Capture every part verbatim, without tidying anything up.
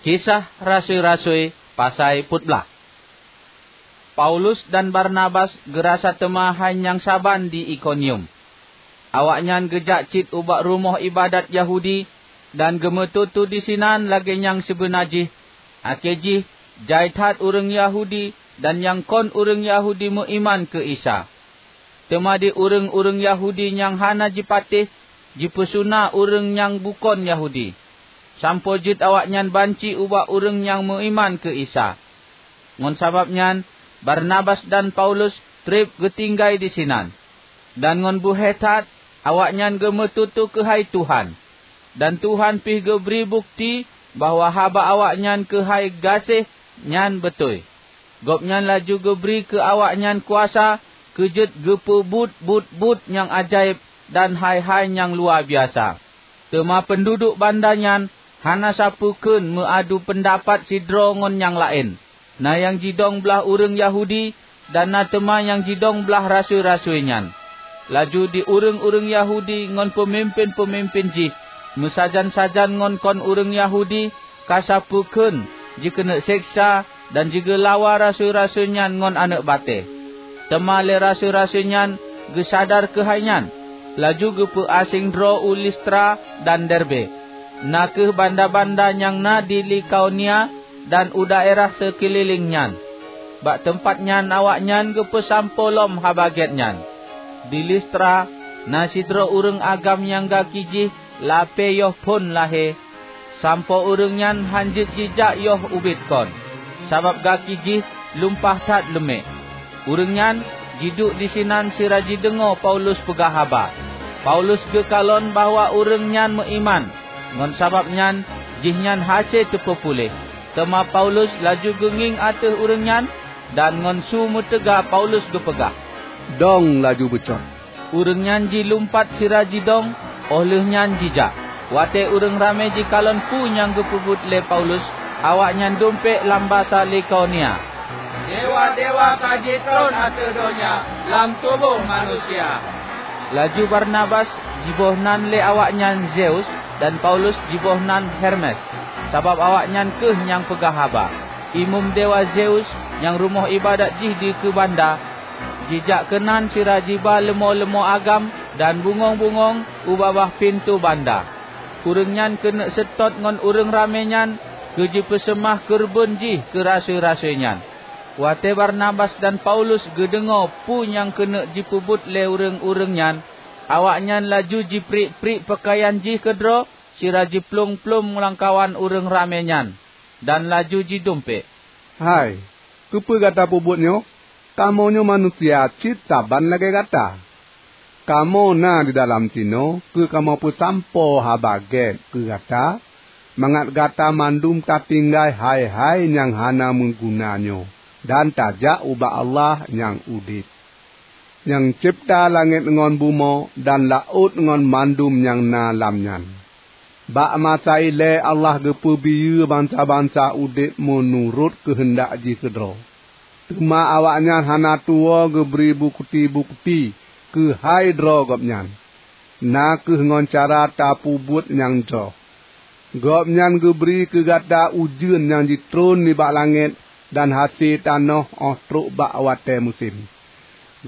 Kisah Rasui-rasui, pasai peuet blaih. Paulus dan Barnabas geurasa teuma hai nyang saban di Ikonium. Awaknyan geujak cit ubak rumoh iébadat Yahudi dan geumeututoe disinan lagée nyang sibeuna jih, akhé jih jai that ureuëng Yahudi dan nyang kon ureuëng Yahudi meuiman keu Isa. Teuma di ureuëng-ureuëng Yahudi nyang hana jipatéh jipeusuna ureuëng nyang bukon Yahudi, sampoe jeuet awaknyan banci ubak ureuëng nyang meuiman keu Isa. Ngon sabab nyan, Barnabas dan Paulus treb geutinggai disinan, dan ngon beuhe that awaknyan geumeututoe keuhai Tuhan. Dan Tuhan pih geubri bukeuti bahwa haba awaknyan keuhai gaséh nyan beutôi. Gobnyan laju geubri keu awaknyan kuasa keu jeuet geupeubuet buet-buet nyang ajaéb dan hai-hai nyang luwabiasa. Teuma peunduduek banda nyan hana sapeue kheun meuadu peundapat sidroe ngon nyang laén. Na nyang jidong blaih ureuëng Yahudi dan na teuma nyang jidong blaih rasui-rasui nyan. Laju di ureuëng-ureuëng Yahudi ngon peumimpén-peumimpén jih, meusajan-sajan ngon kon ureuëng Yahudi, ka sapeue kheun jikeuneuk seksa dan jigeulawa rasui-rasui nyan ngon aneuëk batée. Teuma lé rasui-rasui nyan geusadar keuhai nyan, laju geupeuaséng droe u Listra dan Derbe, na kheueh banda-banda nyang na di Likaonia dan u daerah seukeulileng nyan. Bak teumpat nyan awaknyan geupeusampoe lom Haba Gét nyan. Di Listra na sidroe ureuëng agam nyang gaki jih lapée yoh phon lahé, sampoe ureuëng nyan hán jeuet jijak yoh ubit kon, sabab gaki jih lumpah that leumek. Ureuëng nyan jiduek disinan sira jideungoe Paulus peugah haba. Paulus geukalon bahwa ureuëng nyan meuiman, ngon sabab nyan jihnyan hase teupeupuléh. Teuma Paulus laju geungieng ateueh ureuëng nyan, dan ngon su meuteuga Paulus geupeugah, "Dong laju beucot!" Ureuëng nyan jilumpat sira jidong, óh lheueh nyan jijak. Watée ureuëng ramé jikalon peue nyang geupeubuet lé Paulus, awaknyan dumpék lam basa Likaonia, "Dewa-dewa ka jitron ateueh donya lam tuboh manusia!" Laju Barnabas jiboh nan lé awaknyan Zeus dan Paulus jiboh nan Hermes, sabab awaknyan kheueh nyang peugah haba. Imeum dewa Zeus nyang rumoh iébadat jih dikeue banda, jijak keunan sira jiba leumô-leumô agam dan bungöng-bungöng u babah pintoe banda. Ureuëng nyan keuneuk seutôt ngon ureuëng ramé nyan keu jipeuseumah keureubeuen jih keu rasui-rasui nyan. Watée Barnabas dan Paulus geudeungoe peue nyang keuneuk jipeubuet lé ureuëng-ureuëng nyan, awaknyan laju jipriek-priek peukayan jih keudroe sira jiplueng-plueng lamkawan ureuëng ramé nyan, dan laju jidumpék, "Hai, keupeue gata peubuet nyoe? Kamoe nyoe manusia cit saban lagée gata. Kamoe na didalam sinoe keu kamoe peusampoe Haba Gét keu gata, mangat gata mandum tatinggai hai-hai nyang hana meuguna nyoe dan tajak ubak Allah nyang udeb, nyang cebta langét ngon bumoe dan laôt ngon mandum nyang na lam nyan. Bak masa ilée Allah geupeubiyeu bansa-bansa udeb meunurot keuheundak jih keudroe. Teuma awaknyan hana tuwoe geubri bukeuti-bukeuti keuhai droe Gobnyan, na kheueh ngon cara tapeubuet nyang jroh. Gobnyan geubri keu gata ujeuen nyang jitron nibak langét dan hase tanoh óh trok bak watée musém.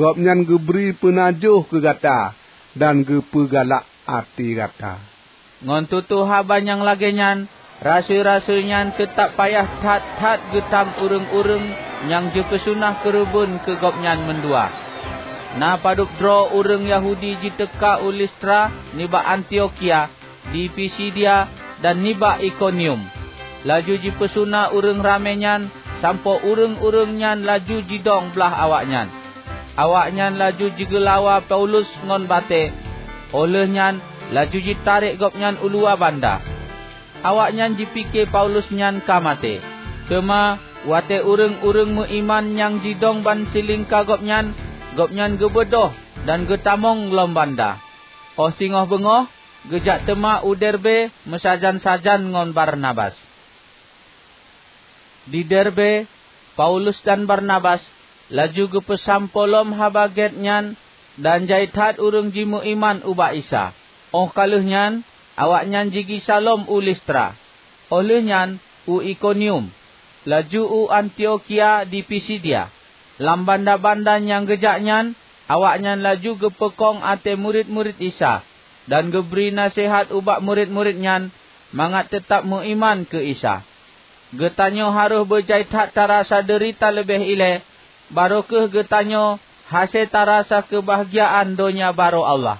Gobnyan geubri peunajoh keu gata dan geupeugalak até gata." Ngon tutoe haba nyang lagée nyan, rasui-rasui nyan teutab payah that-that geutam ureuëng-ureuëng nyang jipeuseumah keureubeuen keu gobnyan mandua. Na padub droe ureuëng Yahudi jiteuka u Listra nibak Antiokhia, di Pisidia dan nibak Ikonium. Laju jipeusuna ureuëng ramé nyan sampoe ureuëng-ureuëng nyan laju jidong blaih awaknyan. Awaknyan laju jigeulawa Paulus ngon batée, óh lheueh nyan laju jitarek gobnyan u luwa banda. Awaknyan jipike Paulus nyan ka maté. Teuma watée ureuëng-ureuëng meuiman nyang jidong ban silingka gobnyan, gobnyan geubeudôh dan geutamong lom banda. Óh singoh beungoh, geujak teuma u Derbe meusajan-sajan ngon Barnabas. Di Derbe, Paulus dan Barnabas laju geupeusampoe lom Haba Gét nyan dan jai that ureuëng jimeuiman ubak Isa. Óh ka lheueh nyan, awaknyan jigisa lom u Listra. Óh lheueh nyan, u Ikonium, laju u Antiokhia di Pisidia. Lam banda-banda nyang geujak nyan, awaknyan laju geupeukong até murit-murit Isa, dan geubri naseuhat ubak murit-murit nyan mangat teutab meuiman keu Isa. Geutanyoe harôh beujai that tarasa deurita leubeh ilée, barô kheueh geutanyoe hase tarasa keubahgiaan donya barô Allah.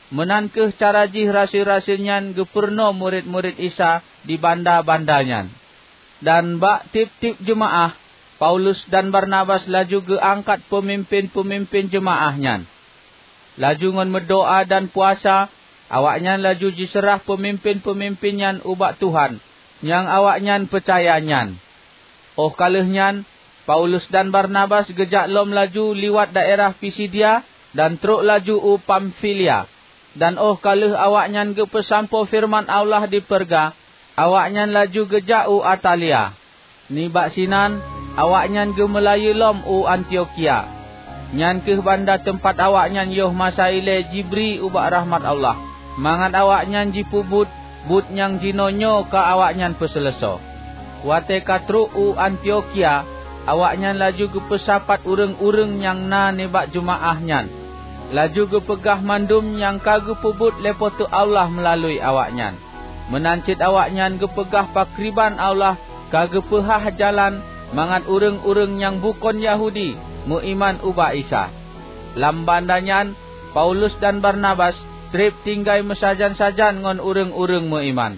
Meunan kheueh cara jih rasui-rasui nyan geupurunoe murit-murit Isa di banda-banda nyan. Dan bak tieb-tieb jeumaáh, Paulus dan Barnabas laju geuangkat peumimpén-peumimpén jeumaáh nyan. Laju ngon meudoá dan puasa, awaknyan laju jiseurah peumimpén-peumimpén nyan ubak Tuhan nyang awaknyan peucaya nyan. Óh ka lheueh nyan, Paulus dan Barnabas geujak lom laju liwat daerah Pisidia dan trok laju u Pamfilia. Dan óh ka lheueh awaknyan geupeusampoe feureuman Allah di Perga, awaknyan laju geujak u Atalia. Nibak sinan, awaknyan geumeulayeue lom u Antiokhia. Nyan kheueh banda teumpat awaknyan yoh masa ilée jibri ubak rahmat Allah, mangat awaknyan jipeubuet buet nyang jinoenyoe ka awaknyan peuseuleusoe. Watée ka trok u Antiokhia, awaknyan laju geupeusapat ureuëng-ureuëng nyang na nibak jeumaáh nyan, laju geupeugah mandum nyang ka geupeubuet lé Po teu Allah meulalui awaknyan. Meunan cit awaknyan geupeugah pakriban Allah ka geupeuhah jalan mangat ureuëng-ureuëng nyang bukon Yahudi meuiman ubak Isa. Lam banda nyan, Paulus dan Barnabas treb tinggai meusajan-sajan ngon ureuëng-ureuëng meuiman.